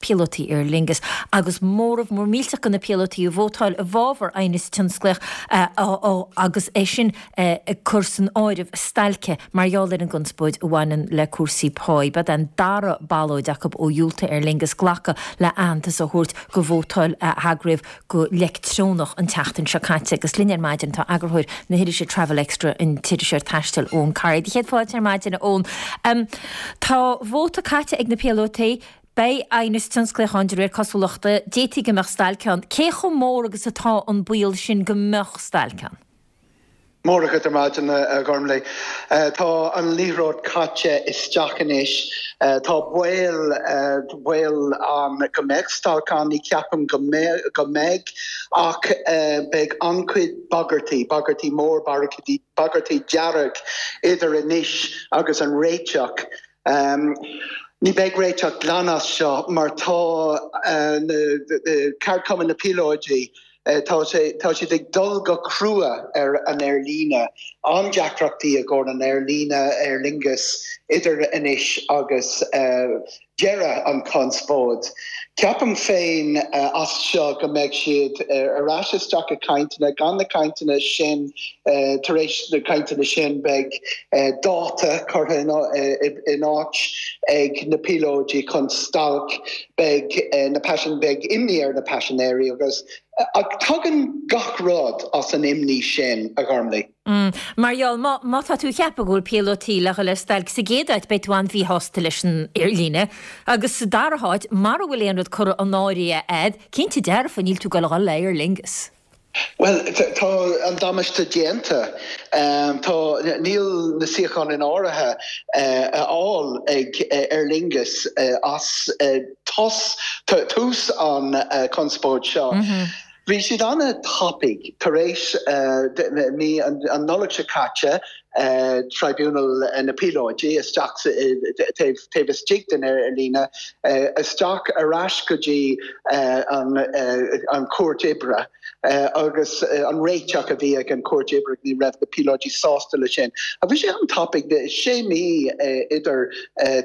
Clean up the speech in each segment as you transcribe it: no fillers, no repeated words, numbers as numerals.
píolótaí Aer Lingus agus móramh mór millteach de na píolótaí a vótáil i bhfabhar aighneas tionsclaíoch agus é sin ag cur san áireamh stailce mar gheall ar an gconspóid a bhaineann le cúrsaí páí. B'é an dara ballóid acu ó dhiúltaigh Aer Lingus glacadh le aitheantas a thabhairt go vótáil a heagraíodh go leictreonach an tseachtain seo caite. Agus linn ar maidin tá eagarthóir na hirise Travel Extra, an t-iriseoir taistil Eoin Corry. Do chéad fáilte ar maidin, a Eoin. Tá vóta caite ag na píolótaí. Beidh aighneas tionsclaíoch ann de réir cosúlachta. D'fhéadfaí go mbeadh stailc ann. Cé chomh mór agus atá an baol sin go mbeadh stailc ann? Móra dhuit ar maidin, a Ghormlaith. Tá an liathróid caite isteach anois. Tá baol, baol ann go mbeadh stailc ann, ní cheapaim go mbeidh, go mbeidh, ach beidh an-chuid bagairtí, bagairtí mór, bagairtí dearg idir anois agus an réiteach. Ní bheidh réiteach glan as seo mar tá na ceardchumainn, na píolóidí, tá sé, tá siad ag dul go crua ar an aerlíne. An-deacrachtaí i gcomhair an aerlíne, Aer Lingus, idir anois agus deireadh an chonspóid. Ceapaim féin as seo go mbeidh siad ar ais isteach i cainteanna, gan na cainteanna sin, tar éis na cainteanna sin beidh dáta curtha in áit ag na píolóidí chun stailc, beidh na paisin, beidh imní ar na paisinéirí agus ach tagann gach rud as an imní sin, a Ghormlaith. Mar gheall, má, má tá tú ag ceapadh go bhfuil píolótaí le dhul ar stailc sa gcéad áit beidh tú an-mhíshásta leis an aerlíne agus sa dara háit mara bhfuil aon rud curtha in áirithe a'd, cinnte dearfa níl tú ag goil a dhul le Aer Lingus. Bhuel, tá an damáiste déanta. Tá, níl na suíocháin in áirithe a fháil ag Aer Lingus as tus, tús an chonspóid seo. Bhí siad an-tapaidh tar éis mí an Nollaig seo caite, Tribunal na Píolóidí isteach taobh taobh istigh den aerlíne, isteach ar ais go dtí an Chúirt Oibre agus an réiteach a bhí ag an Chúirt Oibre, ní raibh na píolóidí sásta le sin. Ach bhí sé an-tapaidh, sé mí idir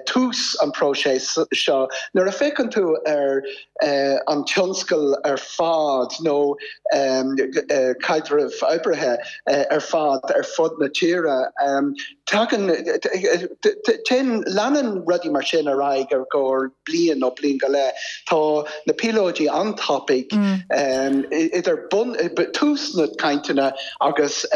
tús an próiseas seo. Nuair a féachann tú ar an tionscal ar fad nó caidreamh oibrithe ar fad ar fud na tíre. Tagann, téann, leanann rudaí mar sin ar aghaidh ar gcomhair bliain nó bliain go leith. Tá na píolóidí an-tapaidh idir bun, tús na cainteanna agus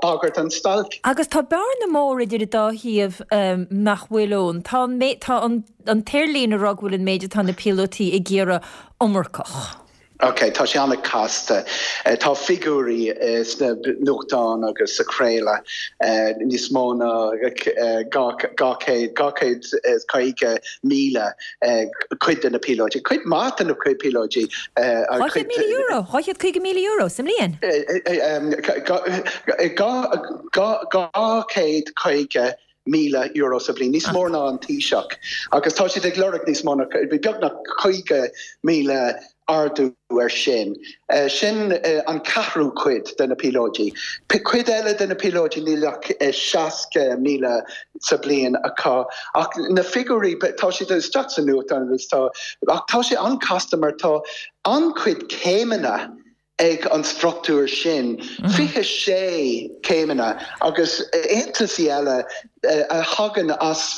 bagairt an stailc. Agus tá bearna mór idir an dá thaobh nach bhfuil ann. Tá an, tá an. an t-aerlíne ag rá go bhfuil an méid atá na píolótaí ag iarraidh iomarcach. Ok, tá sé an-chasta. Tá figiúirí sna nuachtáin agus sa chraoladh, níos mó ná 250,000 cuid de na píolóidí, cuid maith de na píolóidí. €200,000, €250,000 sa mbliain. €250,000 sa bhliain, níos mó ná an Taoiseach, agus tá siad ag lorg níos mó ná, beagnach 50,000 ardú ar sin. Sin an ceathrú cuid de na píolóidí. Cuid eile de na píolóidí níl ach 60,000 sa bhliain acu. Ach na figiúirí, tá siad isteach sa nuachtán agus tá, ach tá sé an-chasta mar tá an-chuid céimeanna ag an struchtúr sin, 26 céimeanna agus aontasaí eile a thagann as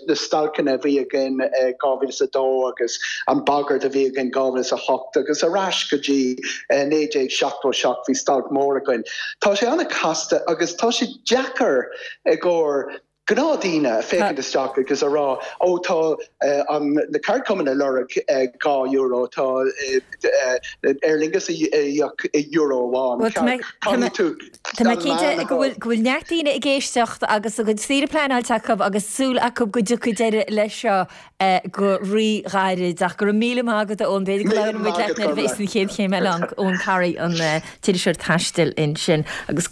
na stailceanna a bhí againn i 2002 agus an bagairt a bhí againn 2008 agus ar ais go dtí 1977 bhí stailc mór againn. Tá sé an-chasta agus tá sé deacair i gcomhair gnáthdhaoine a féachaint isteach agus a rá, ó tá an na ceardchumainn ag lorg €2, tá Aer Lingus ag íoc euro amháin. Caithfidh tú Tá mé cinnte go bhfuil go bhfuil neart daoine ag éisteacht agus a gcuid saoire pleanáilte acu agus súil acu go dtiocfaidh deireadh leis seo go rí-ghairid. Ach go raibh míle maith agat a Eoin, b'fhéidir go labhróidh muid leat nuair a bheas an chéad chéim eile ann, Eoin Corry, an t-iriseoir taistil ansin. Agus.